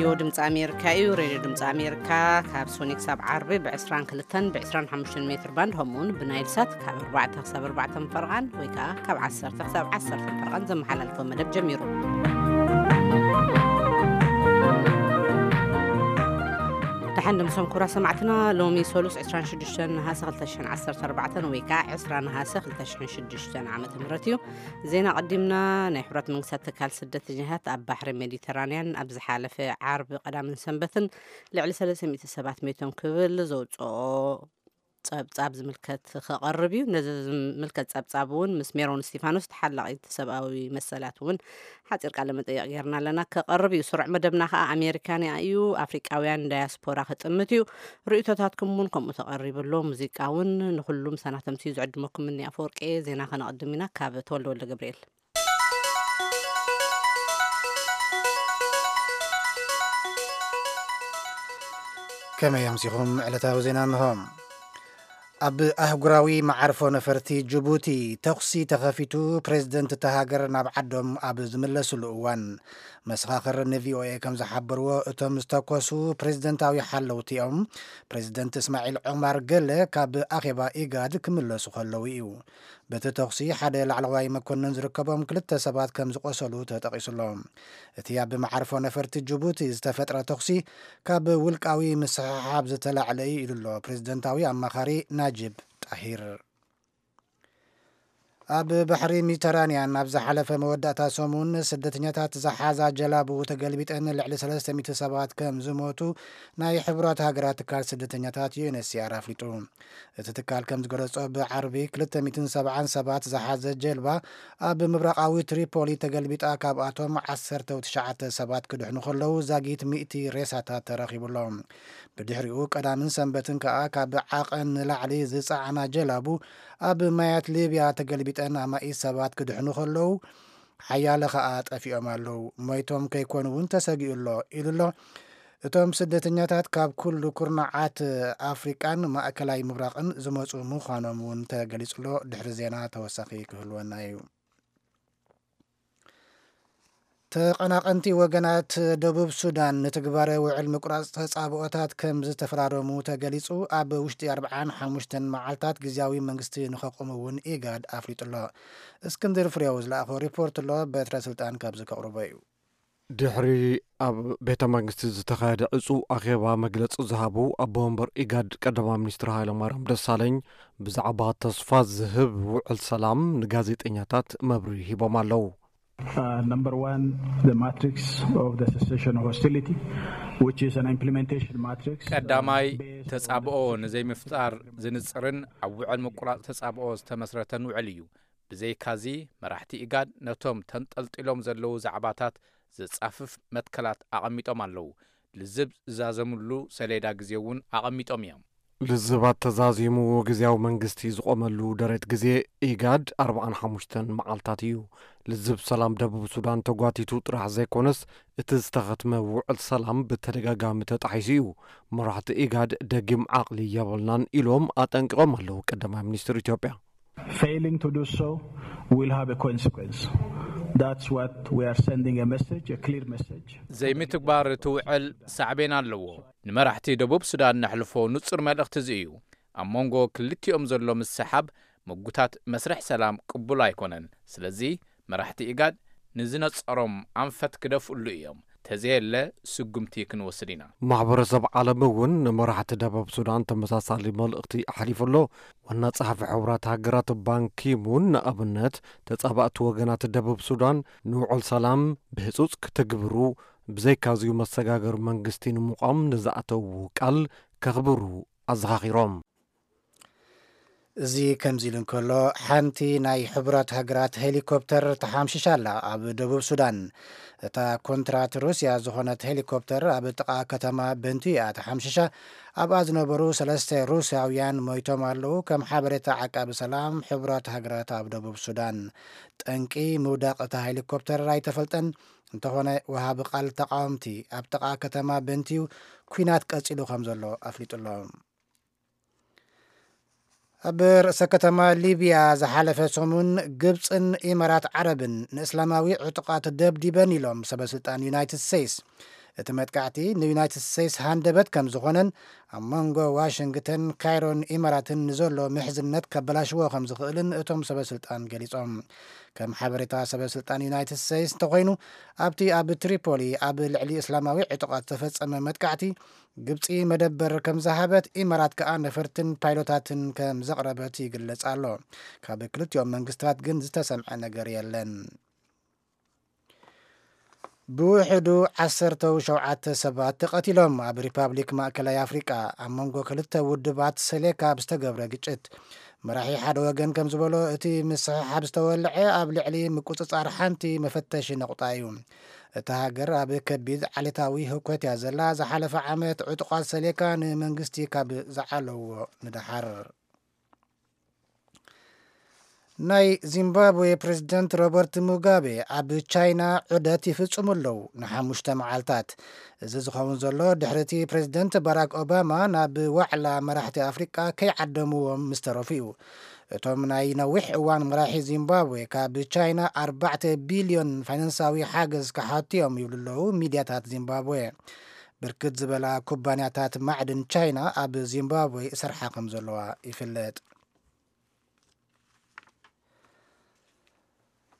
ሬድዮ ድምፂ ኣሜሪካ እዩ። ሬድዮ ድምፂ ኣሜሪካ ካብ ሶኒ ክሳብ ዓርቢ ብ22 ብ25 ሜትር ባንድ፣ ከምኡውን ብናይል ሳት ካብ ኣርባዕተ ክሳብ ኣርባዕተ ፈረቓን ወይ ከዓ ካብ ዓሰርተ ክሳብ ዓሰርተ ፈረቓን ዘመሓላልፎ መደብ ጀሚሩ። ደሓን ድምሶም ክቡራት ሰማዕትና፣ ሎሚ ሰሉስ ዕስራን ሽዱሽተን ነሃሰ ክልተ ሽሕን ዓሰርተ ኣርባዕተን ወይ ከዓ ዕስራ ነሃሰ ክልተ ሽሕን ሽዱሽተን ዓመተ ምህረት እዩ። ዜና ቀዲምና። ናይ ሕቡራት መንግስታት ትካል ስደተኛታት ኣብ ባሕሪ ሜዲተራንያን ኣብ ዝሓለፈ ዓርቢ፣ ቀዳምን ሰንበትን ልዕሊ ሰለስተ ሚእቲ ሰባት ሜቶም ክብል ዘውፅኦ ጸብጻብ ዝምልከት ክቐርብ እዩ። ነዚ ዝምልከት ጸብጻብ እውን ምስ ሜሮን እስቲፋኖስ ተሓላቒት ሰብኣዊ መሰላት እውን ሓጺር ቃለ መጠይቕ ጌርና ኣለና፣ ክቐርብ እዩ። ስሩዕ መደብና ከኣ ኣሜሪካንያ እዩ፣ ኣፍሪቃውያን ዳያስፖራ ክጥምት እዩ። ርእይቶታትኩም እውን ከምኡ ተቐሪቡ ኣሎ። ሙዚቃ እውን ንኹሉም ሰናተምቲ እዩ ዝዕድመኩም። እኒ ኣፈወርቂ ዜና ከነቕድም ኢና ካብ ተወልደ ወልደ ገብርኤል። ከመይ ኣምሲኹም? ዕለታዊ ዜና እንሆ። ኣብ ኣህጉራዊ መዓርፎ ነፈርቲ ጅቡቲ ተኹሲ ተኸፊቱ፣ ፕሬዝደንት እታ ሃገር ናብ ዓዶም ኣብ ዝምለስሉ እዋን። መሰኻኽር ንቪኦኤ ከም ዝሓበርዎ፣ እቶም ዝተኮሱ ፕሬዝደንታዊ ሓለውቲ እዮም። ፕሬዝደንት እስማዒል ዑማር ገለ ካብ ኣኼባ ኢጋድ ክምለሱ ከለዉ እዩ። በቲ ተኹሲ ሓደ ላዕለዋይ መኮንን ዝርከቦም ክልተ ሰባት ከም ዝቆሰሉ ተጠቒሱሎ። እቲ ኣብ መዓርፎ ነፈርቲ ጅቡቲ ዝተፈጥረ ተኹሲ ካብ ውልቃዊ ምስሕሓብ ዝተላዕለ እዩ ኢሉ ኣሎ ፕሬዝደንታዊ ኣማኻሪ ናጅብ ጣሂር። ኣብ ባሕሪ ሜዲተራንያን ኣብ ዝሓለፈ መወዳእታ ሰሙን ስደተኛታት ዝሓዛ ጀላቡ ተገልቢጠን ልዕሊ ሰለስተ ሚእቲ ሰባት ከም ዝሞቱ ናይ ሕቡራት ሃገራት ትካል ስደተኛታት ዩ ኤን ኤች ሲ ኣር ኣፍሊጡ። እቲ ትካል ከም ዝገለጾ፣ ብዓርቢ ክልተ ሚእትን ሰብዓን ሰባት ዝሓዘ ጀልባ ኣብ ምብራቓዊ ትሪፖሊ ተገልቢጣ፣ ካብኣቶም ዓሰርተ ትሽዓተ ሰባት ክድሕኑ ከለዉ፣ ዛጊት ሚእቲ ሬሳታት ተረኺቡ ኣሎ። ብድሕሪኡ ቀዳምን ሰንበትን ከኣ ካብ ዓቐን ንላዕሊ ዝጸዓና ጀላቡ ኣብ ማያት ሊብያ ተገልቢጠን ኣማኢት ሰባት ክድሕኑ ከለዉ፣ ሓያለ ከኣ ጠፊኦም ኣለዉ። ሞይቶም ከይኮኑ እውን ተሰጊኡ ኣሎ ኢሉ ኣሎ። እቶም ስደተኛታት ካብ ኩሉ ኩርናዓት ኣፍሪቃን ማእከላይ ምብራቕን ዝመጹ ምዃኖም እውን ተገሊጹ ኣሎ። ድሕሪ ዜና ተወሳኺ ክህልወና እዩ። ተቐናቐንቲ ወገናት ደቡብ ሱዳን ንትግባረ ውዕል ምቁራጽ ተጻብኦታት ከም ዝተፈራረሙ ተገሊጹ። ኣብ ውሽጢ ኣርብዓን ሓሙሽተን መዓልታት ግዝያዊ መንግስቲ ንኸቁሙ እውን ኢጋድ ኣፍሊጡ ኣሎ። እስክንድር ፍሬው ዝለኣኾ ሪፖርት ኣሎ፣ በትረ ስልጣን ካብዚ ከቕርቦ እዩ። ድሕሪ ኣብ ቤተ መንግስቲ ዝተኻየደ ዕጹው ኣኼባ መግለጺ ዝሃቡ ኣቦ ወንበር ኢጋድ ቀዳማይ ሚኒስትር ሃይለማርያም ደሳለኝ፣ ብዛዕባ ተስፋ ዝህብ ውዕል ሰላም ንጋዜጠኛታት መብርሂ ሂቦም ኣለዉ። Uh, number one, the matrix of the cessation of hostility, which is an implementation matrix, uh, ቀዳማይ፣ based on ተጻብኦ the ንዘይምፍጣር ዝንጽርን ኣብ ውዕል ምቁራጽ ተጻብኦ ዝተመስረተን ውዕል እዩ። ብዘይካዚ፣ መራሕቲ ኢጋድ ነቶም ተንጠልጢሎም ዘለዉ ዛዕባታት ዘጻፍፍ መትከላት ኣቐሚጦም ኣለዉ። ልዝብ ዝዛዘምሉ ሰሌዳ ግዜ እውን ኣቐሚጦም እዮም። ልዝባት ተዛዚሙ ግዝያዊ መንግስቲ ዝቖመሉ ደረት ግዜ ኢጋድ ኣርብዓን ሓሙሽተን መዓልታት እዩ። ልዝብ ሰላም ደቡብ ሱዳን ተጓቲቱ ጥራሕ ዘይኮነስ፣ እቲ ዝተኸትመ ውዕል ሰላም ብተደጋጋሚ ተጣሒሱ እዩ። መራሕቲ ኢጋድ ደጊም ዓቕሊ የብልናን ኢሎም ኣጠንቂቖም ኣለዉ ቀዳማይ ሚኒስትር ኢትዮጵያ። Failing to do so will have a consequence. That's what we are sending a message, a clear message. ዘይምትግባር እቲ ውዕል ሳዕቤን ኣለዎ። ንመራሕቲ ደቡብ ሱዳን ነሕልፎ ንጹር መልእኽቲ እዚ እዩ። ኣብ መንጎ ክልቲኦም ዘሎ ምስሓብ ምጉታት መስርሕ ሰላም ቅቡል ኣይኮነን። ስለዚ መራሕቲ ኢጋድ ንዝነጸሮም ኣንፈት ክደፍእሉ እዮም። ተዘየለ ስጉምቲ ክንወስድ ኢና። ማሕበረሰብ ዓለም እውን ንመራሕቲ ደቡብ ሱዳን ተመሳሳሊ መልእኽቲ ኣሕሊፉ ኣሎ። ዋና ጸሓፊ ሕቡራት ሃገራት ባንኪሙን ንኣብነት፣ ተጻባእቲ ወገናት ደቡብ ሱዳን ንውዕል ሰላም ብህጹጽ ክትግብሩ፣ ብዘይካዝዩ መሰጋገሪ መንግስቲ ንምቋም ንዝኣተዉ ቃል ከኽብሩ ኣዘኻኺሮም። እዚ ከምዚ ኢሉ እንከሎ፣ ሓንቲ ናይ ሕቡራት ሃገራት ሄሊኮፕተር ተሓምሺሻ ኣላ ኣብ ደቡብ ሱዳን። እታ ኮንትራት ሩስያ ዝኾነት ሄሊኮፕተር ኣብ ጥቓ ከተማ በንቱ እያ ተሓምሺሻ። ኣብኣ ዝነበሩ ሰለስተ ሩስያውያን ሞይቶም ኣለዉ፣ ከም ሓበሬታ ዓቃቢ ሰላም ሕቡራት ሃገራት ኣብ ደቡብ ሱዳን። ጠንቂ ምውዳቕ እታ ሄሊኮፕተር ኣይተፈልጠን። እንተኾነ፣ ወሃቢ ቃል ተቃወምቲ ኣብ ጥቓ ከተማ በንቲዩ ኲናት ቀጺሉ ከም ዘሎ ኣፍሊጡ ኣሎ። ኣብ ርእሰ ከተማ ሊብያ ዝሓለፈ ሰሙን፣ ግብጽን ኢማራት ዓረብን ንእስላማዊ ዕጡቓት ደብዲበን ኢሎም ሰበ ስልጣን ዩናይትድ ስቴትስ። እቲ መጥቃዕቲ ንዩናይትድ ስቴትስ ሃንደበት ከም ዝኾነን ኣብ መንጎ ዋሽንግተን፣ ካይሮን ኢማራትን ንዘሎ ምሕዝነት ከበላሽዎ ከም ዝኽእልን እቶም ሰበ ስልጣን ገሊጾም። ከም ሓበሬታ ሰበ ስልጣን ዩናይትድ ስቴትስ እንተኾይኑ፣ ኣብቲ ኣብ ትሪፖሊ ኣብ ልዕሊ እስላማዊ ዕጡቓት ዝተፈጸመ መጥቃዕቲ ግብጺ መደበር ከም ዝሃበት፣ ኢማራት ከኣ ነፈርትን ፓይሎታትን ከም ዘቕረበት ይግለጽ ኣሎ። ካብ ክልቲኦም መንግስታት ግን ዝተሰምዐ ነገር የለን። ብውሕዱ ዓሰርተ ሸውዓተ ሰባት ተቐቲሎም ኣብ ሪፓብሊክ ማእከላይ ኣፍሪቃ ኣብ መንጎ ክልተ ውድባት ሰሌካ ብዝተገብረ ግጭት። መራሒ ሓደ ወገን ከም ዝበሎ፣ እቲ ምስሕሓብ ዝተወልዐ ኣብ ልዕሊ ምቁጽጻር ሓንቲ መፈተሺ ነቑጣ እዩ። እታ ሃገር ኣብ ከቢድ ዓሌታዊ ህውከት እያ ዘላ። ዝሓለፈ ዓመት ዕጡቓት ሰሌካ ንመንግስቲ ካብ ዝዓለውዎ ንደሓር። ናይ ዚምባብዌ ፕሬዝደንት ሮበርት ሙጋቤ ኣብ ቻይና ዑደት ይፍጽሙ ኣለዉ ንሓሙሽተ መዓልታት። እዚ ዝኸውን ዘሎ ድሕሪ እቲ ፕሬዝደንት ባራክ ኦባማ ናብ ዋዕላ መራሕቲ ኣፍሪቃ ከይዓደምዎም ምስ ተረፉ እዩ። እቶም ናይ ነዊሕ እዋን መራሒ ዚምባብዌ ካብ ቻይና ኣርባዕተ ቢልዮን ፋይናንሳዊ ሓገዝ ክሓቱ እዮም ይብሉ ኣለዉ ሚድያታት ዚምባብዌ። ብርክት ዝበላ ኩባንያታት ማዕድን ቻይና ኣብ ዚምባብዌ ይሰርሓ ከም ዘለዋ ይፍለጥ።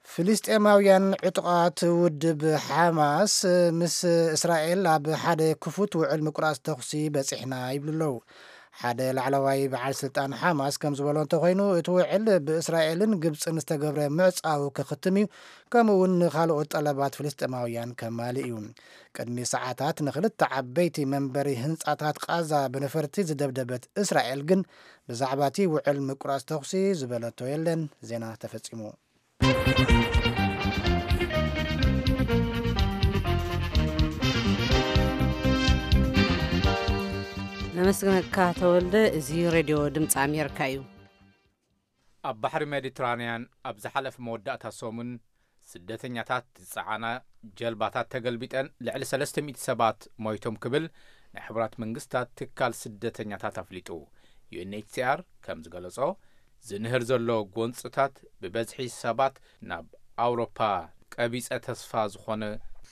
ፍልስጤማውያን ዕጡቓት ውድብ ሓማስ ምስ እስራኤል ኣብ ሓደ ክፉት ውዕል ምቁራጽ ተኹሲ በጺሕና ይብሉ ኣለዉ። ሓደ ላዕለዋይ በዓል ስልጣን ሓማስ ከም ዝበሎ እንተኾይኑ፣ እቲ ውዕል ብእስራኤልን ግብጽን ዝተገብረ ምዕጻው ክኽትም እዩ፣ ከምኡ እውን ንኻልኦት ጠለባት ፍልስጤማውያን ከማልእ እዩ። ቅድሚ ሰዓታት ንኽልተ ዓበይቲ መንበሪ ህንጻታት ቃዛ ብነፈርቲ ዝደብደበት እስራኤል ግን ብዛዕባ እቲ ውዕል ምቁራጽ ተኹሲ ዝበለቶ የለን። ዜና ተፈጺሙ። ነመስግነካ ተወልደ። እዚ ሬድዮ ድምፂ ኣሜሪካ እዩ። ኣብ ባሕሪ ሜዲትራንያን ኣብ ዝሓለፈ መወዳእታ ሰሙን ስደተኛታት ዝጸዓና ጀልባታት ተገልቢጠን ልዕሊ ሰለስተ ሚእቲ ሰባት ሞይቶም ክብል ናይ ሕቡራት መንግስታት ትካል ስደተኛታት ኣፍሊጡ። ዩ ኤን ኤች ሲ ኣር ከም ዝገለጾ፣ ዝንህር ዘሎ ጎንጽታት ብበዝሒ ሰባት ናብ ኣውሮፓ ቀቢጸ ተስፋ ዝኾነ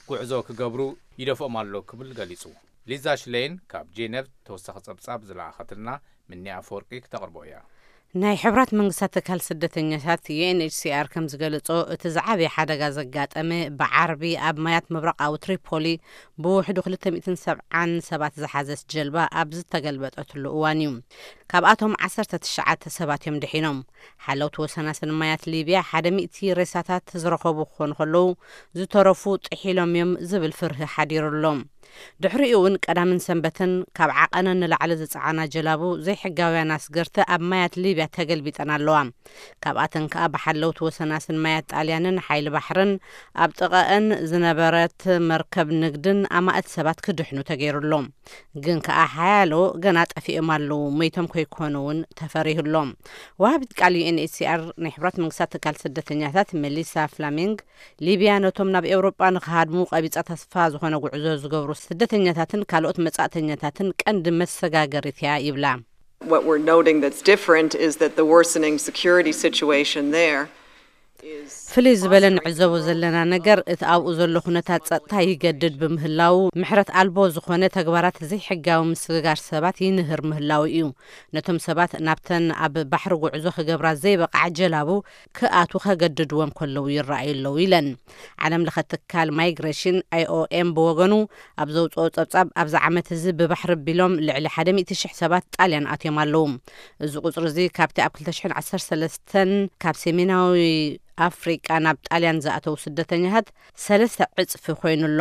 ጉዕዞ ክገብሩ ይደፍኦም ኣሎ ክብል ገሊጹ። ሊዛ ሽሌን ካብ ጄነቭ ተወሳኺ ጸብጻብ ዝለኣኸትልና፣ ምኒ ኣፈወርቂ ክተቕርቦ እያ። ናይ ሕብራት መንግስታት ትካል ስደተኛታት ዩ ኤን ኤች ሲ ኣር ከም ዝገለጾ፣ እቲ ዝዓበየ ሓደጋ ዘጋጠመ ብዓርቢ ኣብ ማያት ምብራቓዊ ትሪፖሊ ብውሕዱ ክልተ ሚእትን ሰብዓን ሰባት ዝሓዘት ጀልባ ኣብ ዝተገልበጠትሉ እዋን እዩ። ካብኣቶም ዓሰርተ ትሽዓተ ሰባት እዮም ድሒኖም። ሓለውቲ ወሰናስን ማያት ሊብያ ሓደ ሚእቲ ሬሳታት ዝረኸቡ ክኾኑ ከለዉ፣ ዝተረፉ ጥሒሎም እዮም ዝብል ፍርሂ ሓዲሩ ኣሎ። ድሕሪኡ እውን ቀዳምን ሰንበትን ካብ ዓቐነን ንላዕሊ ዝጸዓና ጀላቡ ዘይሕጋውያን ኣስገርቲ ኣብ ማያት ሊብያ ተገልቢጠን ኣለዋ። ካብኣተን ከኣ ብሓለውቲ ወሰናስን ማያት ጣልያንን ሓይሊ ባሕርን ኣብ ጥቓኣን ዝነበረት መርከብ ንግድን ኣማእት ሰባት ክድሕኑ ተገይሩ ኣሎ። ግን ከኣ ሓያሎ ገና ጠፊኦም ኣለዉ፣ ሞይቶም ከይኮኑ እውን ተፈሪሁ ኣሎ። ወሃቢት ቃል ዩ ኤን ኤች ሲ ኣር ናይ ሕቡራት መንግስታት ትካል ስደተኛታት መሊሳ ፍላሚንግ፣ ሊብያ ነቶም ናብ ኤውሮጳ ንኽሃድሙ ቀቢጸ ተስፋ ዝኾነ ጉዕዞ ዝገብሩ ስደተኛታትን ካልኦት መጻእተኛታትን ቀንዲ መሰጋገሪት እያ ይብላ። What we're noting that's different is that the worsening security situation there is ፍልይ ዝበለ ንዕዘቦ ዘለና ነገር፣ እቲ ኣብኡ ዘሎ ኩነታት ጸጥታ ይገድድ ብምህላዉ፣ ምሕረት ኣልቦ ዝኾነ ተግባራት ዘይሕጋዊ ምስግጋር ሰባት ይንህር ምህላዉ እዩ። ነቶም ሰባት ናብተን ኣብ ባሕሪ ጉዕዞ ክገብራ ዘይበቕዓ ጀላቡ ክኣትዉ ከገድድዎም ከለዉ ይረኣዩ ኣለዉ ኢለን። ዓለም ለኸ ትካል ማይግሬሽን ኣይ ኦ ኤም ብወገኑ፣ ኣብ ዘውፅኦ ጸብጻብ፣ ኣብዚ ዓመት እዚ ብባሕሪ ኣቢሎም ልዕሊ ሓደ ሚእቲ ሽሕ ሰባት ጣልያን ኣትዮም ኣለዉ። እዚ ቁጽሪ እዚ ካብቲ ኣብ ክልተ ሽሕን ዓሰርተ ሰለስተን ካብ ሰሜናዊ ኣፍሪቃ ናብ ጣልያን ዝኣተዉ ስደተኛታት ሰለስተ ዕጽፊ ኮይኑ ኣሎ።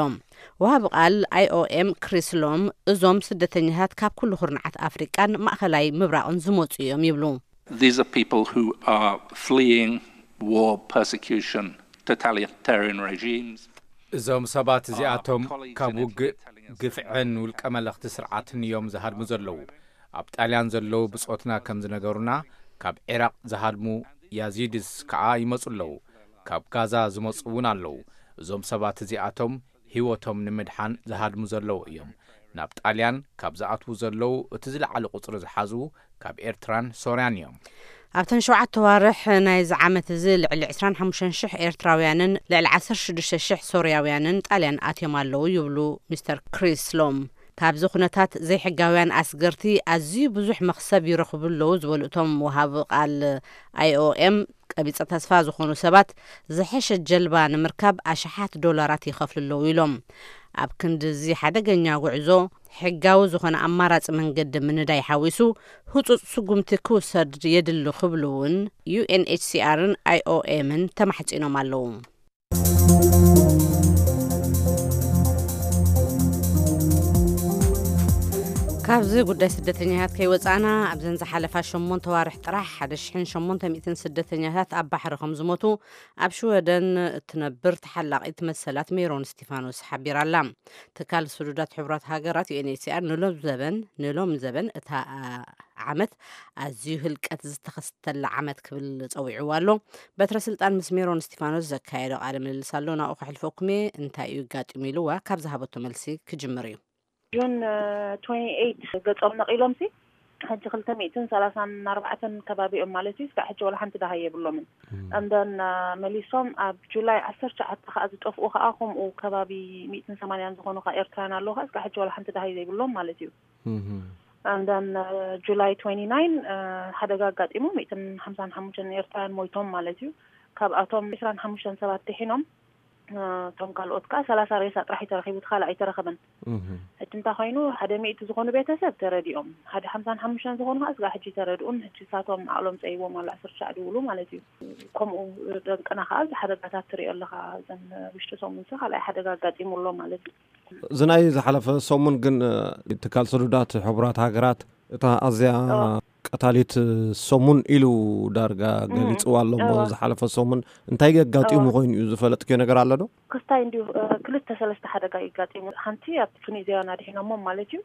ወሃቢ ቃል ኣይ ኦ ኤም ክሪስ ሎም፣ እዞም ስደተኛታት ካብ ኩሉ ኩርናዓት ኣፍሪቃን ማእኸላይ ምብራቕን ዝመጹ እዮም ይብሉ። These are people who are fleeing war, persecution, totalitarian regimes. እዞም ሰባት እዚኣቶም ካብ ውግእ፣ ግፍዕን ውልቀ መለኽቲ ስርዓትን እዮም ዝሃድሙ ዘለዉ። ኣብ ጣልያን ዘለዉ ብጾትና ከም ዝነገሩና፣ ካብ ዒራቕ ዝሃድሙ ያዚድስ ከኣ ይመጹ ኣለዉ። ካብ ጋዛ ዝመጹ እውን ኣለዉ። እዞም ሰባት እዚኣቶም ህይወቶም ንምድሓን ዝሃድሙ ዘለዉ እዮም። ናብ ጣልያን ካብ ዝኣትዉ ዘለዉ እቲ ዝለዓለ ቁጽሪ ዝሓዙ ካብ ኤርትራን ሶርያን እዮም። ኣብተን ሸውዓተ ዋርሕ ናይዚ ዓመት እዚ ልዕሊ ዕስራን ሓሙሽተን ሽሕ ኤርትራውያንን ልዕሊ ዓሰርተ ሽዱሽተ ሽሕ ሶርያውያንን ጣልያን ኣትዮም ኣለዉ ይብሉ ሚስተር ክሪስ ሎም። ካብዚ ኩነታት ዘይሕጋውያን ኣስገርቲ ኣዝዩ ብዙሕ መኽሰብ ይረኽቡ ኣለዉ ዝበሉ እቶም ወሃቢ ቃል ኣይ ኦ ኤም፣ ቀቢጸ ተስፋ ዝኾኑ ሰባት ዝሐሸ ጀልባ ንምርካብ ኣሽሓት ዶላራት ይኸፍሉ ኣለዉ ኢሎም። ኣብ ክንዲ እዚ ሓደገኛ ጉዕዞ ሕጋዊ ዝኾነ ኣማራጺ መንገዲ ምንዳይ ሓዊሱ ህጹጽ ስጉምቲ ክውሰድ የድሊ ክብሉ እውን ዩ ኤን ኤች ሲ ኣርን ኣይ ኦ ኤምን ተማሕጺኖም ኣለዉ። ካብዚ ጉዳይ ስደተኛታት ከይወጻእና፣ ኣብዘን ዝሓለፋ ሸሞንተ ዋርሕ ጥራሕ ሓደ ሽሕን ሸሞንተ ሚእትን ስደተኛታት ኣብ ባሕሪ ከም ዝሞቱ ኣብ ሽወደን እትነብር ተሓላቒት መሰላት ሜሮን እስቲፋኖስ ሓቢራ ኣላ። ትካል ስዱዳት ሕቡራት ሃገራት ዩ ኤን ኤች ሲ ኣር ንሎም ዘበን ንሎም ዘበን እታ ዓመት ኣዝዩ ህልቀት ዝተኸስተላ ዓመት ክብል ጸዊዕዋ ኣሎ። በትረ ስልጣን ምስ ሜሮን እስቲፋኖስ ዘካየዶ ቃለ ምልልስ ኣሎ፣ ናብኡ ከሕልፈኩም እየ። እንታይ እዩ ኣጋጢሙ ኢልዋ ካብ ዝሃበቶ መልሲ ክጅምር እዩ። ጁን ትዌንቲ ኤይት ገጾም ነቒሎም ሲ ሕጂ ክልተ ሚእትን ሰላሳን ኣርባዕተን ከባቢኦም ማለት እዩ። እስካዕ ሕጂ ወላ ሓንቲ ደሃይ የብሎምን። And then መሊሶም ኣብ ጁላይ ዓሰርተ ትሽዓተ ከዓ ዝጠፍኡ ከዓ ከምኡ ከባቢ ሚእትን ሰማንያን ዝኾኑ ከዓ ኤርትራውያን ኣለዉ ከዓ እስካዕ ሕጂ ወላ ሓንቲ ደሃይ ዘይብሎም ማለት እዩ። And then ጁላይ ትዌንቲ ናይን ሓደጋ ኣጋጢሙ ሚእትን ሓምሳን ሓሙሽተን ኤርትራውያን ሞይቶም ማለት እዩ። ካብኣቶም ዕስራን ሓሙሽተን ሰባት ድሒኖም፣ እቶም ካልኦት ከዓ ሰላሳ ሬሳ ጥራሕ እዩ ተረኺቡ፣ እቲ ካልእ ኣይተረኸበን። ሕጂ እንታይ ኮይኑ፣ ሓደ ሚእቲ ዝኾኑ ቤተሰብ ተረዲኦም፣ ሓደ ሓምሳን ሓሙሽተን ዝኾኑ ከዓ እስካዕ ሕጂ ተረድኡን፣ ሕጂ እሳቶም ዓቕሎም ፀይዎም ኣሎ፣ ዓሰርተ ሻዕ ድውሉ ማለት እዩ። ከምኡ ደንቅና ከዓ እዚ ሓደጋታት ትሪኦ ኣለኻ፣ እዘን ውሽጢ ሰሙን ሲ ካልኣይ ሓደጋ ኣጋጢሙ ኣሎ ማለት እዩ። እዚ ናይ ዝሓለፈ ሰሙን ግን ትካል ስዱዳት ሕቡራት ሃገራት እታ ኣዝያ ቀታሊት ሰሙን ኢሉ ዳርጋ ገሊፅዋ ኣሎ እሞ፣ ዝሓለፈ ሰሙን እንታይ ኣጋጢሙ ኮይኑ እዩ ዝፈለጥክዮ ነገር ኣሎ ዶ? ክስታይ እንዲሁ ክልተ ሰለስተ ሓደጋ ይጋጢሙ። ሓንቲ ኣብ ቱኒዝያውያን ኣድሒኖሞም ማለት እዩ።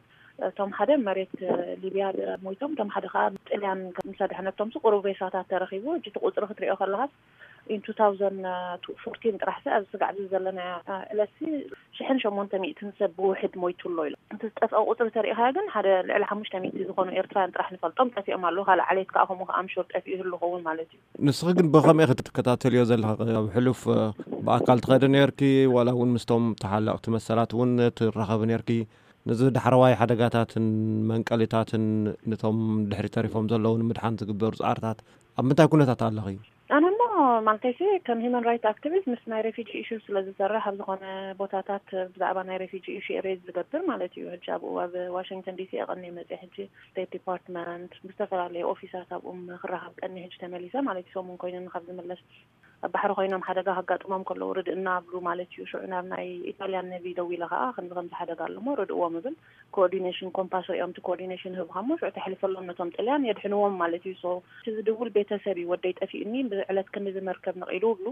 እቶም ሓደ መሬት ሊብያ ሞይቶም፣ እቶም ሓደ ከዓ ጥልያን ምስ ኣድሐነቶም ቁሩብ ሬሳታት ተረኺቡ። ሕጂ እቲ ቁፅሪ ክትሪኦ ከለኻስ in two thousand fourteen ጥራሕ ሲ ኣብዚ ስጋዕ እዚ ዘለና ዕለት ሲ ሽሕን ሸሞንተ ሚእትን ሰብ ብውሕድ ሞይቱ ኣሎ ኢሎም። እቲ ዝጠፍአ ቁፅሪ ተሪኢኻዮ ግን ሓደ ልዕሊ ሓሙሽተ ሚእቲ ዝኾኑ ኤርትራውያን ጥራሕ ንፈልጦም ጠፊኦም ኣለዉ። ካልእ ዓሌት ከዓ ከምኡ ከዓ ኣምሹር ጠፊኡ ይህሉ ኸውን ማለት እዩ። ንስኺ ግን ብኸመይ ክትከታተልዮ ዘለኻ? ኣብ ሕሉፍ ብኣካል ትኸዲ ነርኪ ዋላ እውን ምስቶም ተሓለቕቲ መሰላት እውን ትራኸቢ ነርኪ? ነዚ ዳሕረዋይ ሓደጋታትን መንቀሊታትን ነቶም ድሕሪ ተሪፎም ዘለዉ ንምድሓን ዝግበሩ ፃዕርታት ኣብ ምንታይ ኩነታት ኣለኺ? ኣነ እሞ ማለተይሲ ከም ሂማን ራይት ኣክቲቪስት ምስ ናይ ሬፊጂ ኢሹ ስለ ዝሰርሕ ኣብ ዝኾነ ቦታታት ብዛዕባ ናይ ሬፊጂ ኢሹ ሬዝ ዝገብር ማለት እዩ። ሕጂ ኣብኡ ኣብ ዋሽንግተን ዲሲ የቐኒ መፅእ ሕጂ ስቴት ዲፓርትመንት ብዝተፈላለዩ ኦፊሳት ኣብኡም ክራኸብ ቀኒ ሕጂ ተመሊሰ ማለት እዩ። ሰሙን ኮይኑኒ ካብ ዝምለስ ኣብ ባሕሪ ኮይኖም ሓደጋ ከጋጥሞም ከለዉ ርድእና ኣብሉ ማለት እዩ። ሽዑ ናብ ናይ ኢጣልያን ነቪ ደዊለ ከዓ ከምዚ ከምዚ ሓደጋ ኣለሞ ርድእዎም እብል። ኮኦርዲኔሽን ኮምፓስ ሪኦም እቲ ኮኦርዲኔሽን ህብኻሞ ሽዑ ተሕልፈሎም ነቶም ጥልያን የድሕንዎም ማለት እዩ። So እቲ ዝድውል ቤተሰብ እዩ፣ ወደይ ጠፊእኒ ብዕለት ክንዲ ዝመርከብ ነቒሉ እብሉ።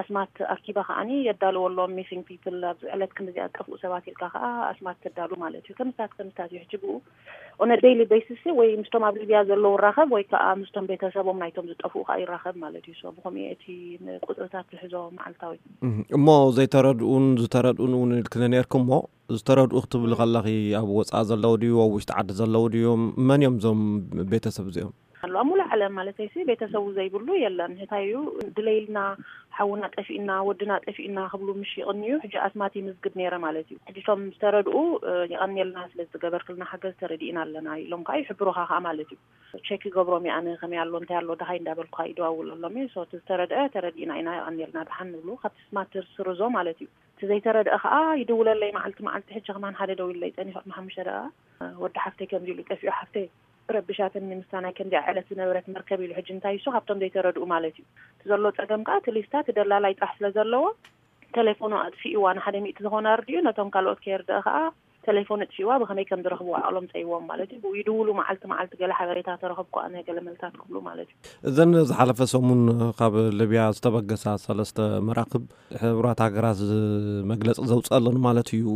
ኣስማት ኣኪባ ከዓኒ የዳልወሎም ሚሲንግ ፒፕል ኣብዚ ዕለት ክንዲ ዚኣ ጠፍኡ ሰባት ኢልካ ከዓ ኣስማት ተዳሉ ማለት እዩ። ከምስታት ከምስታት እዩ ሕጂ ብኡ ኦነ ዴይሊ ቤሲስ ወይ ምስቶም ኣብ ሊብያ ዘለዉ ራኸብ ወይ ከዓ ምስቶም ቤተሰቦም ናይቶም ዝጠፍኡ ከዓ ይራኸብ ማለት እዩ። So ብኸምኡ እቲ ቁፅርታት ዝሕዞ መዓልታዊ። እሞ ዘይተረድኡን ዝተረድኡን እውን ኢልክኒ ነርኩ እሞ ዝተረድኡ ክትብሊ ከለኺ ኣብ ወፃኢ ዘለዉ ድዩ ኣብ ውሽጢ ዓዲ ዘለዉ ድዮም? መን እዮም እዞም ቤተሰብ እዚኦም? ኣሎ ኣብ ሙሉእ ዓለም ማለተይሲ ቤተሰቡ ዘይብሉ የለን። እንታይ እዩ ድለይልና ሓውና ጠፊእና ወድና ጠፊእና ክብሉ ምሽ ይቕንዩ። ሕጂ ኣስማት ይምዝግብ ነይረ ማለት እዩ። ሕጂ እቶም ዝተረድኡ የቐንየልና ስለ ዝገበርክልና ሓገዝ ተረዲእና ኣለና ኢሎም ከዓ ይሕብሩኻ ከዓ ማለት እዩ። ቸክ ይገብሮም እየ ኣነ ከመይ ኣሎ እንታይ ኣሎ ደሃይ እንዳበልኩ ከዓ ይደዋውለሎም እየ። So እቲ ዝተረድአ ተረዲእና ኢና የቐንየልና ደሓን ንብሉ ካብቲ ስማት ትርስርዞ ማለት እዩ። እቲ ዘይተረድአ ከዓ ይድውለለይ መዓልቲ መዓልቲ። ሕጂ ከማን ሓደ ደዊለይ ፀኒሑ ቅድሚ ሓሙሽተ ደኣ ወዲ ሓፍተይ ከምዚ ኢሉ ጠፊኡ ሓፍተይ ረብሻትኒ ምስታ ናይ ከምዚኣ ዕለት ዝነበረት መርከብ ኢሉ። ሕጂ እንታይ እሱ ካብቶም ዘይተረድኡ ማለት እዩ። እቲ ዘሎ ፀገም ከዓ እቲ ሊስታ እቲ ደላላይ ጥራሕ ስለ ዘለዎ ተሌፎኑ ኣጥፊእዋ ንሓደ ሚእቲ ዝኾነ ኣርዲኡ ነቶም ካልኦት ከየርድአ ከዓ ተሌፎኑ ኣጥፊእዋ ብኸመይ ከም ዝረኽብዋ ዓቕሎም ፀይዎም ማለት እዩ። ብኡ ይድውሉ መዓልቲ መዓልቲ ገለ ሓበሬታ ተረኸብኩ ኣነ ገለ መልታት ክብሉ ማለት እዩ። እዘን ዝሓለፈ ሰሙን ካብ ሊብያ ዝተበገሳ ሰለስተ መራክብ ሕቡራት ሃገራት ዝ- መግለፂ ዘውፅኣለን ማለት እዩ።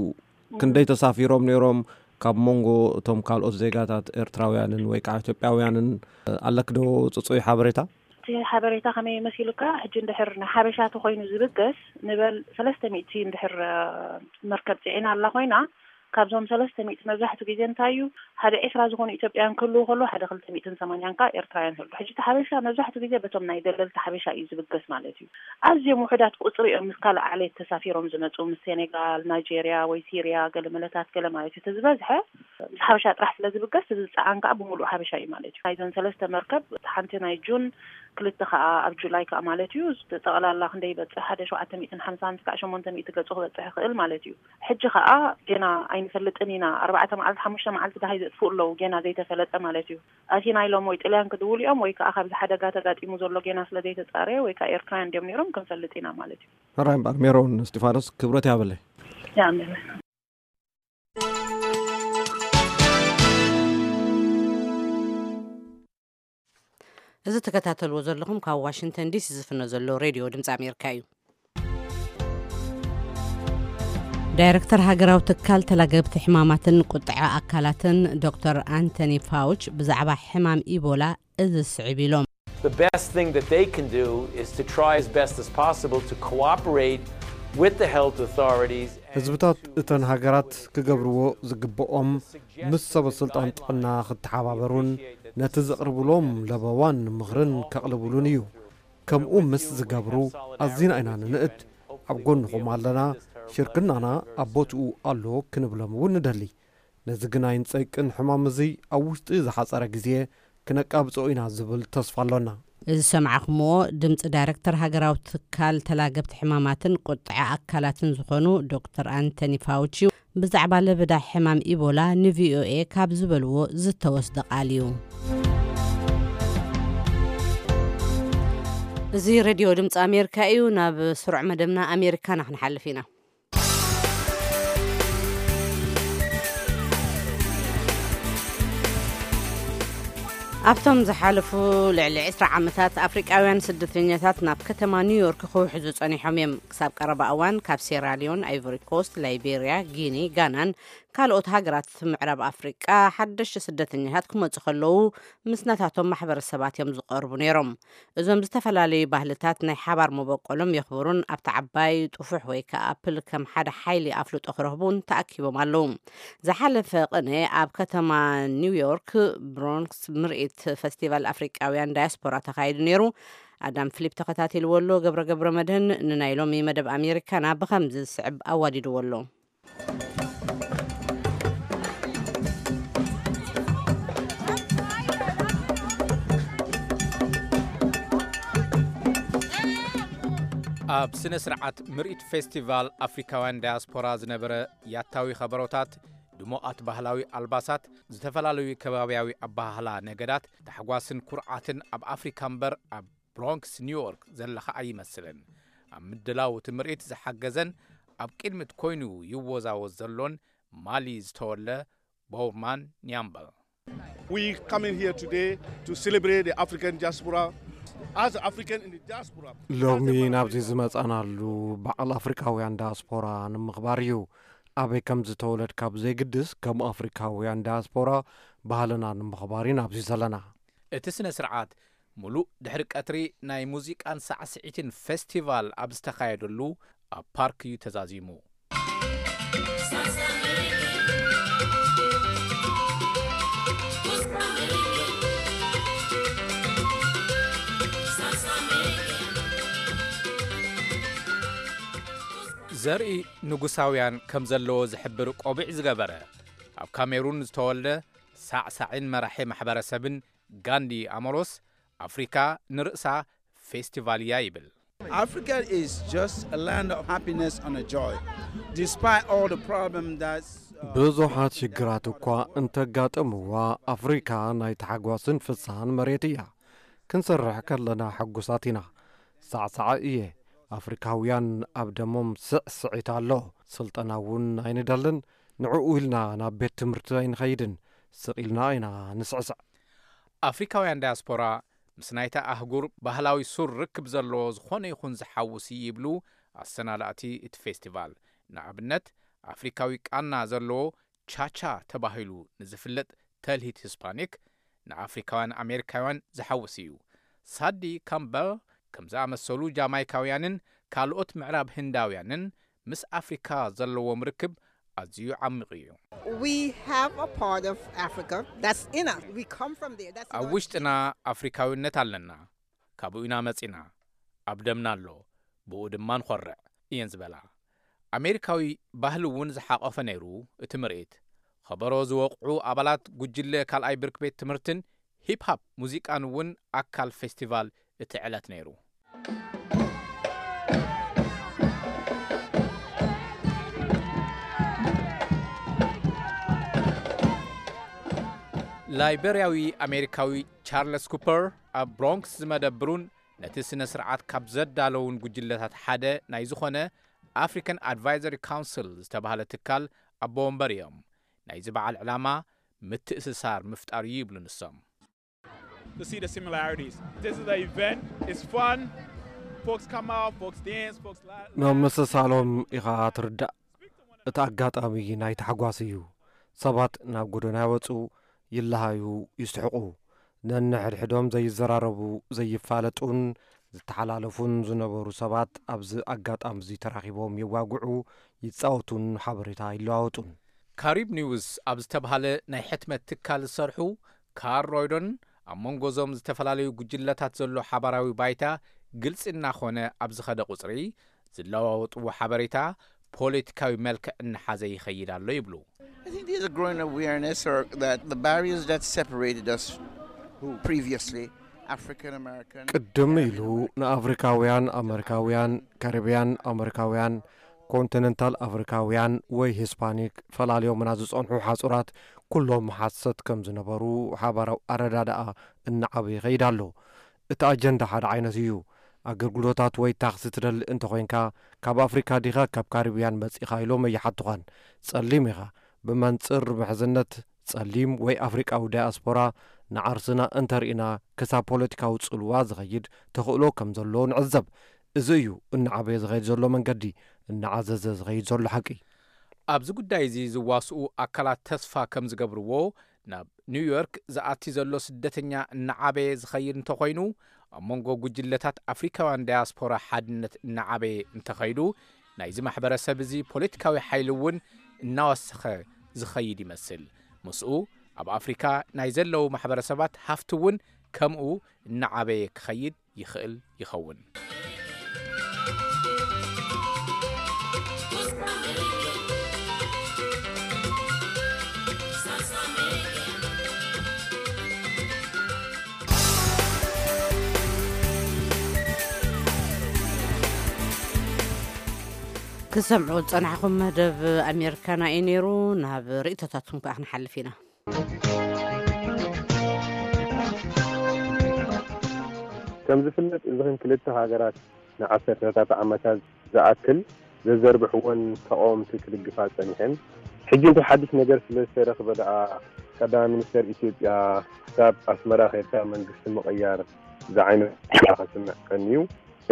ክንደይ ተሳፊሮም ነይሮም? ካብ መንጎ እቶም ካልኦት ዜጋታት ኤርትራውያንን ወይ ከዓ ኢትዮጵያውያንን ኣለክ ዶ ፅፁይ ሓበሬታ? እቲ ሓበሬታ ከመይ መሲሉካ? ሕጂ እንድሕር ንሓበሻ ተኮይኑ ዝብገስ ንበል ሰለስተ ሚእቲ እንድሕር መርከብ ፅዒና ኣላ ኮይና ካብዞም ሰለስተ ሚእቲ መብዛሕቱ ግዜ እንታይ እዩ፣ ሓደ ዒስራ ዝኾኑ ኢትዮጵያውያን ክህልዉ ከለዉ፣ ሓደ ክልተ ሚእትን ሰማንያን ከዓ ኤርትራውያን ይህሉ። ሕጂ እቲ ሓበሻ መብዛሕቱ ግዜ በቶም ናይ ደለልቲ ሓበሻ እዩ ዝብገስ ማለት እዩ። ኣዝዮም ውሑዳት ቁፅሪ እዮም ምስ ካልእ ዓሌት ተሳፊሮም ዝመፁ፣ ምስ ሴኔጋል፣ ናይጄርያ ወይ ሲርያ፣ ገለ መለታት ገለ ማለት እዩ። እቲ ዝበዝሐ ምስ ሓበሻ ጥራሕ ስለ ዝብገስ፣ እዚ ዝፀዓን ከዓ ብምሉእ ሓበሻ እዩ ማለት እዩ። ናይዘን ሰለስተ መርከብ፣ ሓንቲ ናይ ጁን፣ ክልተ ከዓ ኣብ ጁላይ ከዓ ማለት እዩ። ጠቕላላ ክንደይ ይበፅሕ? ሓደ ሸውዓተ ሚእትን ሓምሳን ክሳዕ ሸሞንተ ሚእቲ ገፁ ክበፅሕ ይኽእል ማለት እዩ። ሕጂ ከዓ ጌና ኣይንፈልጥን ኢና። ኣርባዕተ መዓልቲ፣ ሓሙሽተ መዓልቲ ደሃይ ዘጥፍኡ ኣለዉ፣ ጌና ዘይተፈለጠ ማለት እዩ። ኣቲና ኢሎም ወይ ጥልያን ክድውሉ እዮም፣ ወይ ከዓ ካብዚ ሓደጋ ተጋጢሙ ዘሎ ጌና ስለ ዘይተፃረየ፣ ወይ ከዓ ኤርትራውያን ድዮም ነይሮም፣ ክንፈልጥ ኢና ማለት እዩ። ሕራይ እምበር፣ ሜሮን እስጢፋኖስ፣ ክብረት ያበለይ። ያሜን። እዚ ትከታተልዎ ዘለኹም ካብ ዋሽንግተን ዲሲ ዝፍኖ ዘሎ ሬድዮ ድምፂ ኣሜሪካ እዩ። ዳይረክተር ሃገራዊ ትካል ተላገብቲ ሕማማትን ቁጥዐ ኣካላትን ዶክተር ኣንቶኒ ፋውች ብዛዕባ ሕማም ኢቦላ እዚ ስዕብ ኢሎም። The best thing that they can do is to try as best as possible to cooperate with the health authorities. ህዝብታት እተን ሃገራት ክገብርዎ ዝግብኦም ምስ ሰበ ስልጣን ጥዕና ክተሓባበሩን ነቲ ዝቕርብሎም ለበዋን ምኽርን ከቕልብሉን እዩ። ከምኡ ምስ ዝገብሩ ኣዚና ኢና ንንእድ። ኣብ ጎንኹም ኣለና፣ ሽርክናና ኣብ ቦትኡ ኣሎ ክንብሎም እውን ንደሊ። ነዚ ግናይን ጸይቅን ሕማም እዚ ኣብ ውሽጢ ዝሓጸረ ግዜ ክነቃብጾ ኢና ዝብል ተስፋ ኣሎና። እዚ ሰማዕኹምዎ ድምፂ ዳይረክተር ሃገራዊ ትካል ተላገብቲ ሕማማትን ቁጥዐ ኣካላትን ዝኾኑ ዶክተር ኣንቶኒ ፋውቺ ብዛዕባ ለበዳ ሕማም ኢቦላ ንቪኦኤ ካብ ዝበልዎ ዝተወስደ ቃል እዩ። እዚ ሬድዮ ድምፂ ኣሜሪካ እዩ። ናብ ስሩዕ መደብና ኣሜሪካና ክንሓልፍ ኢና። ኣብቶም ዝሓለፉ ልዕሊ ዕስራ ዓመታት ኣፍሪቃውያን ስደተኛታት ናብ ከተማ ኒውዮርክ ክውሕዙ ጸኒሖም እዮም። ክሳብ ቀረባ እዋን ካብ ሴራሊዮን፣ ኣይቮሪ ኮስት፣ ላይቤርያ፣ ጊኒ፣ ጋናን ካልኦት ሃገራት ምዕራብ ኣፍሪቃ ሓደሽቲ ስደተኛታት ክመጹ ከለዉ ምስ ናታቶም ማሕበረሰባት እዮም ዝቐርቡ ነይሮም። እዞም ዝተፈላለዩ ባህልታት ናይ ሓባር መበቆሎም የኽብሩን ኣብቲ ዓባይ ጥፉሕ ወይ ከዓ ኣፕል ከም ሓደ ሓይሊ ኣፍልጦ ክረኽቡን ተኣኪቦም ኣለዉ። ዝሓለፈ ቅነ ኣብ ከተማ ኒውዮርክ ብሮንክስ ምርኢት ፈስቲቫል ኣፍሪቃውያን ዳያስፖራ ተኻይዱ ነይሩ። ኣዳም ፊሊፕ ተኸታቲልዎ ኣሎ። ገብረ ገብረ መድህን ንናይ ሎሚ መደብ ኣሜሪካና ብኸምዚ ዝስዕብ ኣዋዲድዎ ኣሎ። ኣብ ስነ ስርዓት ምርኢት ፌስቲቫል ኣፍሪካውያን ዳያስፖራ ዝነበረ ያታዊ ከበሮታት፣ ድሙቓት ባህላዊ ኣልባሳት፣ ዝተፈላለዩ ከባብያዊ ኣበሃህላ ነገዳት፣ ታሕጓስን ኩርዓትን ኣብ ኣፍሪካ እምበር ኣብ ብሮንክስ ኒውዮርክ ዘለኻ ኣይመስልን። ኣብ ምድላው እቲ ምርኢት ዝሓገዘን ኣብ ቅድሚት ኮይኑ ይወዛወዝ ዘሎን ማሊ ዝተወልደ ቦውርማን ኒያምበል። We coming here today to celebrate the African diaspora. As African in the diaspora, ሎሚ ናብዚ ዝመጻናሉ በዓል ኣፍሪካውያን ዳያስፖራ ንምኽባር እዩ። ኣበይ ከም ዝተወለድካ ብዘይግድስ ከም ኣፍሪካውያን ዳያስፖራ ባህልና ንምኽባር ኢና ኣብዚ ዘለና። እቲ ስነ ስርዓት ሙሉእ ድሕሪ ቀትሪ ናይ ሙዚቃን ሳዕስዒትን ፌስቲቫል ኣብ ዝተኻየደሉ ኣብ ፓርክ እዩ ተዛዚሙ። ዘርኢ ንጉሳውያን ከም ዘለዎ ዝሕብር ቆቢዕ ዝገበረ፣ ኣብ ካሜሩን ዝተወልደ ሳዕሳዒን መራሒ ማሕበረሰብን ጋንዲ ኣሞሮስ፣ ኣፍሪካ ንርእሳ ፌስቲቫል እያ ይብል። Africa is just a land of happiness and a joy, despite all the problem that's, uh, ብዙሓት ሽግራት እኳ እንተጋጠምዋ፣ ኣፍሪካ ናይ ታሕጓስን ፍሳን መሬት እያ። ክንሰርሕ ከለና ሕጉሳት ኢና። ሳዕሳዕ እየ። ኣፍሪካውያን ኣብ ደሞም ስዕስዒት ኣሎ። ስልጠና እውን ኣይንደልን። ንዕኡ ኢልና ናብ ቤት ትምህርቲ ኣይንኸይድን። ስቕ ኢልና ኢና ንስዕስዕ። ኣፍሪካውያን ዳያስፖራ ምስ ናይታ ኣህጉር ባህላዊ ሱር ርክብ ዘለዎ ዝኾነ ይኹን ዝሓውስ ይብሉ ኣሰናዳእቲ እቲ ፌስቲቫል። ንኣብነት፣ ኣፍሪካዊ ቃና ዘለዎ ቻቻ ተባሂሉ ንዝፍለጥ ተልሂት ሂስፓኒክ ንኣፍሪካውያን ኣሜሪካውያን ዝሓውስ እዩ። ሳዲ ካምበል ከም ዝኣመሰሉ ጃማይካውያንን ካልኦት ምዕራብ ህንዳውያንን ምስ ኣፍሪካ ዘለዎም ርክብ ኣዝዩ ዓሚቕ እዩ። We have a part of Africa that's in us. We come from there. That's ኣብ ውሽጥና ኣፍሪካዊነት ኣለና። ካብኡ ኢና መጺና። ኣብ ደምና ኣሎ። ብኡ ድማ ንኾርዕ እየን ዝበላ። ኣሜሪካዊ ባህሊ እውን ዝሓቆፈ ነይሩ እቲ ምርኢት። ኸበሮ ዝወቕዑ ኣባላት ጉጅለ ካልኣይ ብርኪ ቤት ትምህርትን ሂፕ ሃፕ ሙዚቃን እውን ኣካል ፌስቲቫል እቲ ዕለት ነይሩ። ላይበርያዊ ኣሜሪካዊ ቻርለስ ኩፐር ኣብ ብሮንክስ ዝመደብሩን ነቲ ስነ ስርዓት ካብ ዘዳለውን ጉጅለታት ሓደ ናይ ዝኾነ ኣፍሪካን ኣድቫይዘሪ ካውንስል ዝተባህለ ትካል ኣቦ ወንበር እዮም። ናይዚ በዓል ዕላማ ምትእስሳር ምፍጣር እዩ ይብሉ ንሶም። To see the similarities. This is an event. It's fun. Folks come out, folks dance, folks laugh. መመሰሳሎም ኢኻ ትርዳእ። እቲ ኣጋጣሚ ናይ ታሕጓስ እዩ። ሰባት ናብ ጎደና ይወፁ፣ ይለሃዩ፣ ይስሕቑ። ነንሕድሕዶም ዘይዘራረቡ፣ ዘይፋለጡን ዝተሓላለፉን ዝነበሩ ሰባት ኣብዚ ኣጋጣሚ እዚ ተራኺቦም የዋግዑ፣ ይጻወቱን ሓበሬታ ይለዋወጡን። ካሪብ ኒውስ ኣብ ዝተብሃለ ናይ ሕትመት ትካል ዝሰርሑ ካር ሮይዶን ኣብ መንጎ እዞም ዝተፈላለዩ ጉጅለታት ዘሎ ሓባራዊ ባይታ ግልጺ እናኾነ ኣብ ዝኸደ ቁጽሪ ዝለዋወጥዎ ሓበሬታ ፖለቲካዊ መልክዕ እናሓዘ ይኸይድ ኣሎ ይብሉ። I think there's a growing awareness or that the barriers that separated us previously, African American, ቅድም ኢሉ ንኣፍሪካውያን ኣመሪካውያን፣ ካሪብያን ኣመሪካውያን፣ ኮንቲነንታል ኣፍሪካውያን ወይ ሂስፓኒክ ፈላልዮምና ዝጸንሑ ሓጹራት ኩሎም ሓሰት ከም ዝነበሩ ሓባራዊ ኣረዳድኣ እናዓበየ ይኸይድ ኣሎ። እቲ ኣጀንዳ ሓደ ዓይነት እዩ። ኣገልግሎታት ወይ ታኽሲ ትደሊ እንተኾይንካ፣ ካብ ኣፍሪካ ዲኻ ካብ ካሪብያን መጺኻ ኢሎም ኣይሓቱኻን። ጸሊም ኢኻ። ብመንጽር ምሕዝነት ጸሊም ወይ ኣፍሪቃዊ ዳያስፖራ ንዓርስና እንተርኢና ክሳብ ፖለቲካዊ ጽልዋ ዝኸይድ ተኽእሎ ከም ዘሎ ንዕዘብ። እዚ እዩ እናዓበየ ዝኸይድ ዘሎ መንገዲ፣ እናዓዘዘ ዝኸይድ ዘሎ ሓቂ። ኣብዚ ጉዳይ እዚ ዝዋስኡ ኣካላት ተስፋ ከም ዝገብርዎ፣ ናብ ኒውዮርክ ዝኣቲ ዘሎ ስደተኛ እናዓበየ ዝኸይድ እንተኾይኑ፣ ኣብ መንጎ ጉጅለታት ኣፍሪካውያን ዳያስፖራ ሓድነት እናዓበየ እንተኸይዱ፣ ናይዚ ማሕበረሰብ እዚ ፖለቲካዊ ሓይሊ እውን እናወሰኸ ዝኸይድ ይመስል። ምስኡ ኣብ ኣፍሪካ ናይ ዘለዉ ማሕበረሰባት ሃፍቲ እውን ከምኡ እናዓበየ ክኸይድ ይኽእል ይኸውን። ክሰምዑ ዝጸናሕኹም መደብ ኣሜሪካና እዩ ነይሩ። ናብ ርእይቶታትኩም ከኣ ክንሓልፍ ኢና። ከም ዝፍለጥ እዚኽን ክልተ ሃገራት ንዓሰርተታት ዓመታት ዝኣክል ዘዘርብሕወን ተቓወምቲ ክድግፋ ጸኒሐን። ሕጂ እንታይ ሓድሽ ነገር ስለ ዝተረኽበ ደኣ ቀዳማይ ሚኒስተር ኢትዮጵያ ክሳብ ኣስመራ ከይድካ መንግስቲ ምቕያር ዝዓይነቱ ክስምዕ ቀንዩ።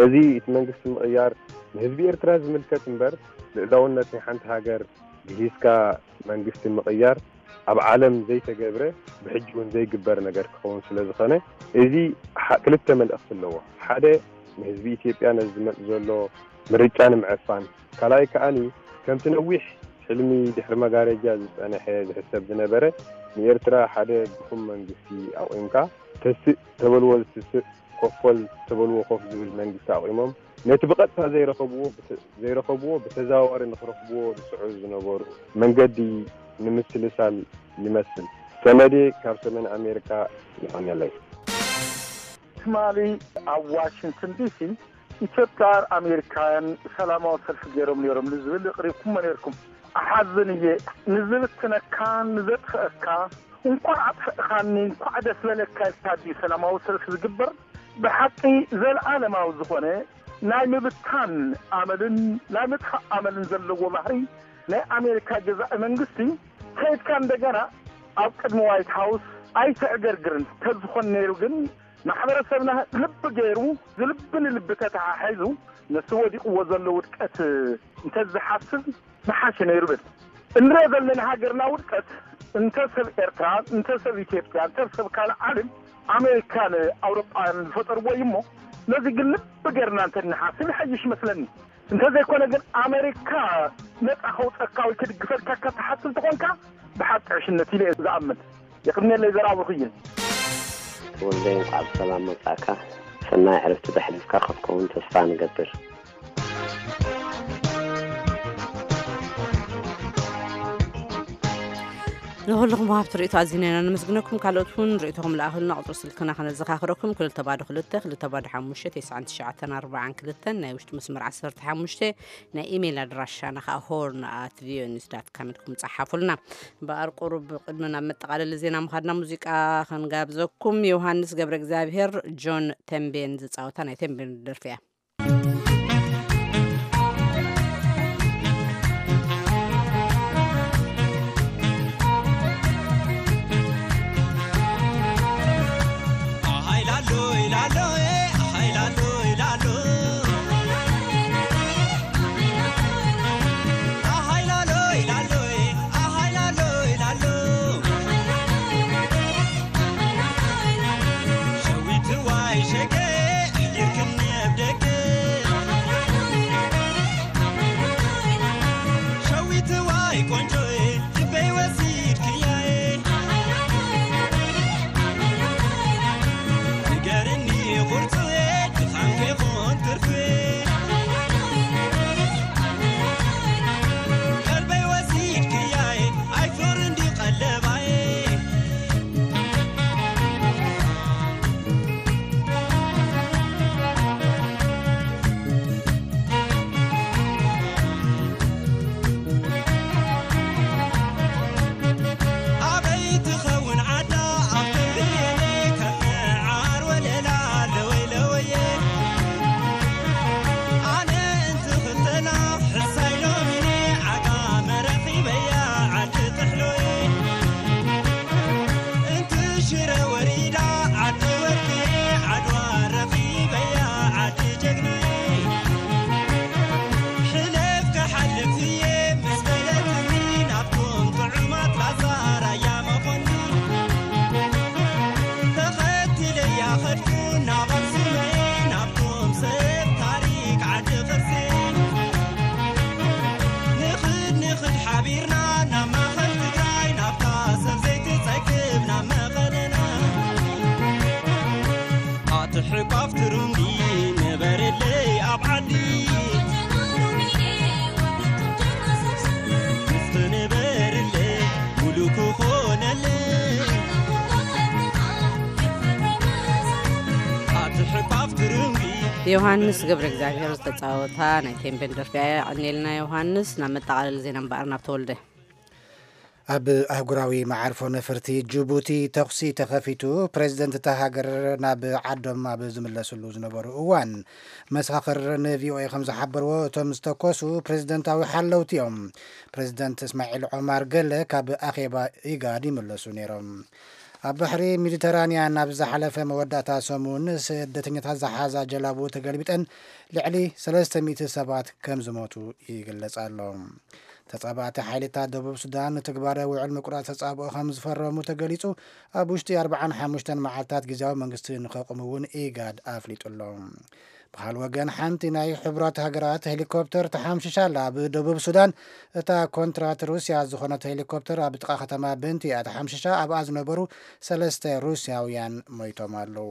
እዚ እቲ መንግስቲ ምቕያር ንህዝቢ ኤርትራ ዝምልከት እምበር ልእላውነት ናይ ሓንቲ ሃገር ግሂስካ መንግስቲ ምቕያር ኣብ ዓለም ዘይተገብረ ብሕጂ እውን ዘይግበር ነገር ክኸውን ስለ ዝኾነ እዚ ክልተ መልእኽቲ ኣለዎ። ሓደ ንህዝቢ ኢትዮጵያ ነዚ ዝመጽእ ዘሎ ምርጫ ንምዕፋን፣ ካልኣይ ከኣኒ ከምቲ ነዊሕ ሕልሚ ድሕሪ መጋረጃ ዝጸንሐ ዝሕሰብ ዝነበረ ንኤርትራ ሓደ ድኹም መንግስቲ ኣቑምካ ተስእ ተበልዎ ዝትስእ ኮፍ በል ተበልዎ ኮፍ ዝብል መንግስቲ ኣቑሞም ነቲ ብቐጥታ ዘይረኸብዎ ዘይረኸብዎ ብተዘዋዋሪ ንኽረኽብዎ ዝጽዕሩ ዝነበሩ መንገዲ ንምስልሳል ይመስል። ሰመዴ ካብ ሰሜን ኣሜሪካ። የቐንየለይ። ትማሊ ኣብ ዋሽንግተን ዲሲ ኢትዮጵያን ኣሜሪካውያን ሰላማዊ ሰልፊ ገይሮም ነይሮም ንዝብል ኣቕሪብኩሞ ነይርኩም። እሓዝን እየ። ንዝብትነካ ንዘጥፍአካ እንኳዕ ኣጥፍእኻኒ እንኳዕ ደስ በለካ ኢልካ ድዩ ሰላማዊ ሰልፊ ዝግበር? ብሓቂ ዘለኣለማዊ ዝኾነ ናይ ምብታን ኣመልን ናይ ምጥፋእ ኣመልን ዘለዎ ባህሪ ናይ ኣሜሪካ ገዛኢ መንግስቲ ከይድካ እንደገና ኣብ ቅድሚ ዋይት ሃውስ ኣይተዕገርግርን። ተዝኾን ነይሩ ግን ማሕበረሰብና ልቢ ገይሩ ዝልቢ ንልቢ ተተሓሒዙ ነቲ ወዲቕዎ ዘሎ ውድቀት እንተዝሓስብ ምሓሸ ነይሩ ብል። እንሪኦ ዘለና ሃገርና ውድቀት እንተ ሰብ ኤርትራ እንተ ሰብ ኢትዮጵያ እንተ ሰብ ካልእ ዓለም ኣሜሪካን ኣውሮጳን ዝፈጠርዎ እዩ እሞ ነዚ ግን ልቢ ገርና እንተንሓስብ ይሓይሽ መስለኒ። እንተዘይኮነ ግን ኣሜሪካ ነፃ ከውፀካ ወይ ክድግፈልካ ካብ ትሓስብ ተኾንካ ብሓቂ ዕሽነት ኢለ እየ ዝኣምን። የቕድሜለይ ዘራብኹ እየ። ተወልደ፣ እንኳዕ ብሰላም መጻእካ። ሰናይ ዕረፍቲ ዘሕሊፍካ ክትከውን ተስፋ ንገብር። ንኹልኹም ወሃብቲ ርእይቶ ኣዚና ኢና ነመስግነኩም። ካልኦት እውን ርእይቶኹም ለኣኹልና። ቁፅሪ ስልክና ከነዘኻኽረኩም፣ ክልተ ባዶ ክልተ፣ ክልተ ባዶ ሓሙሽተ፣ ተስዓን ትሽዓተን ኣርባዓን ክልተን፣ ናይ ውሽጢ መስመር ዓሰርተ ሓሙሽተ፣ ናይ ኢሜይል ኣድራሻና ከዓ ሆርን ኣት ቪኦኤ ኒውስ ዳት ካም ኢልኩም ጸሓፉልና። እምበኣር ቁሩብ ቅድሚ ናብ መጠቓለሊ ዜና ምኻድና ሙዚቃ ከንጋብዘኩም። ዮሃንስ ገብረ እግዚኣብሔር ጆን ተምቤን ዝጻወታ ናይ ተምቤን ደርፊ እያ። ዮሃንስ ገብረ እግዚኣብሔር ዝተፃወታ ናይ ቴምቤን ደርፊ እያ። የቐንየልና ዮሃንስ። ናብ መጠቓለሊ ዜና እምበኣር ናብ ተወልደ። ኣብ ኣህጉራዊ መዓርፎ ነፈርቲ ጅቡቲ ተኹሲ ተኸፊቱ፣ ፕሬዚደንት እታ ሃገር ናብ ዓዶም ኣብ ዝምለስሉ ዝነበሩ እዋን። መሰኻኽር ንቪኦኤ ከም ዝሓበርዎ፣ እቶም ዝተኮሱ ፕሬዚደንታዊ ሓለውቲ እዮም። ፕሬዚደንት እስማዒል ዖማር ገለ ካብ ኣኼባ ኢጋድ ይምለሱ ነይሮም። ኣብ ባሕሪ ሜዲተራንያን ኣብ ዝሓለፈ መወዳእታ ሰሙን ስደተኛታት ዝሓዛ ጀላቡ ተገልቢጠን ልዕሊ ሰለስተ ሚእቲ ሰባት ከም ዝሞቱ ይግለጽ ኣሎ። ተጻባእቲ ሓይልታት ደቡብ ሱዳን ንትግባረ ውዕል ምቁራጽ ተጻብኦ ከም ዝፈረሙ ተገሊጹ። ኣብ ውሽጢ ኣርባዓን ሓሙሽተን መዓልታት ግዝያዊ መንግስቲ ንኸቑም እውን ኢጋድ ኣፍሊጡ ኣሎ። ብኻል ወገን ሓንቲ ናይ ሕቡራት ሃገራት ሄሊኮፕተር ተሓምሽሻ ኣላ። ኣብ ደቡብ ሱዳን እታ ኮንትራት ሩስያ ዝኾነት ሄሊኮፕተር ኣብ ጥቓ ከተማ በንቲ እያ ተሓምሽሻ። ኣብኣ ዝነበሩ ሰለስተ ሩስያውያን ሞይቶም ኣለዉ።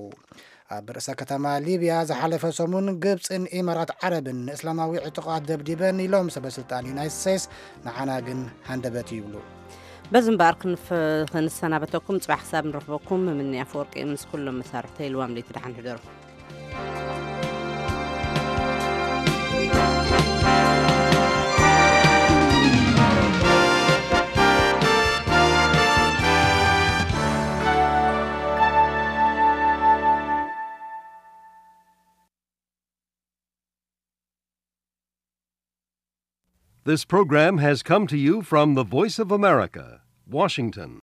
ኣብ ርእሰ ከተማ ሊብያ ዝሓለፈ ሰሙን ግብፅን ኢማራት ዓረብን ንእስላማዊ ዕጡቓት ደብዲበን ኢሎም ሰበ ስልጣን ዩናይትድ ስቴትስ፣ ንዓና ግን ሃንደበት ይብሉ። በዚ እምበኣር ክንፍ- ክንሰናበተኩም፣ ፅባሕ ክሳብ ንረኽበኩም ምምኒ ኣፈወርቂ ምስ ኩሎም መሳርሕተይ ልዋም ለይቲ ደሓን ሕደሩ። This program has come to you from the Voice of America, Washington.